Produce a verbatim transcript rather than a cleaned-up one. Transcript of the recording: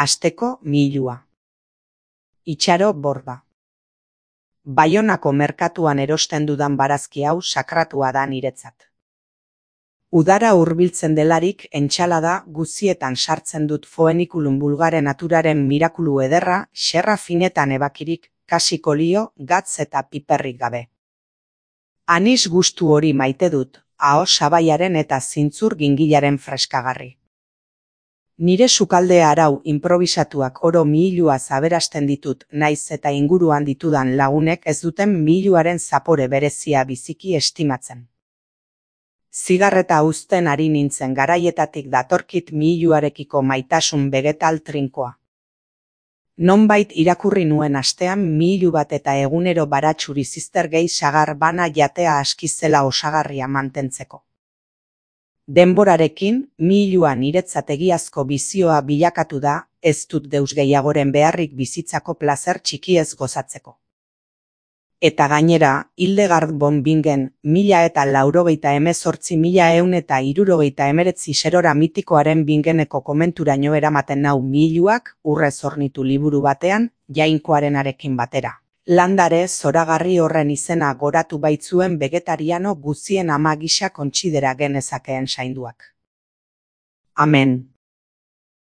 Asteko milua. Itxaro borda. Baionako merkatuan erosten dudan barazki hau sakratua da niretzat. Udara hurbiltzen delarik entsalada guzietan sartzen dut foeniculum vulgare naturaren mirakulu ederra, xerra finetan ebakirik, kasik olio, gatz eta piperrik gabe. Anis gustu hori maite dut, aho sabaiaren eta zintzur gingilaren freskagarri. Nire sukalde arau improbisatuak oro mihiluaz aberasten ditut, naiz eta inguruan ditudan lagunek ez duten mihiluaren zapore berezia biziki estimatzen. Zigarreta uzten ari nintzen garaietatik datorkit mihiluarekiko maitasun vegetal trinkoa. Nonbait irakurri nuen astean mihilu bat eta egunero baratxuri ziztergei sagar bana jatea aski zela osagarria mantentzeko. Denborarekin, mihilua niretzat egiazko bizioa bilakatu da, ez dut deus gehiagoren beharrik bizitzako plazer txikiez gozatzeko. Eta gainera, Hildegard von Bingen, mila eta laurogeita hemezortzi mila ehun eta hirurogeita hemeretzi serora mitikoaren Bingeneko komenturaino eramaten nau mihiluak, urrez hornitu liburu batean, jainkoarenarekin batera. Landare zoragarri horren izena goratu baitzuen vegetariano guzien ama gisa kontsidera genezakeen sainduak. Amen.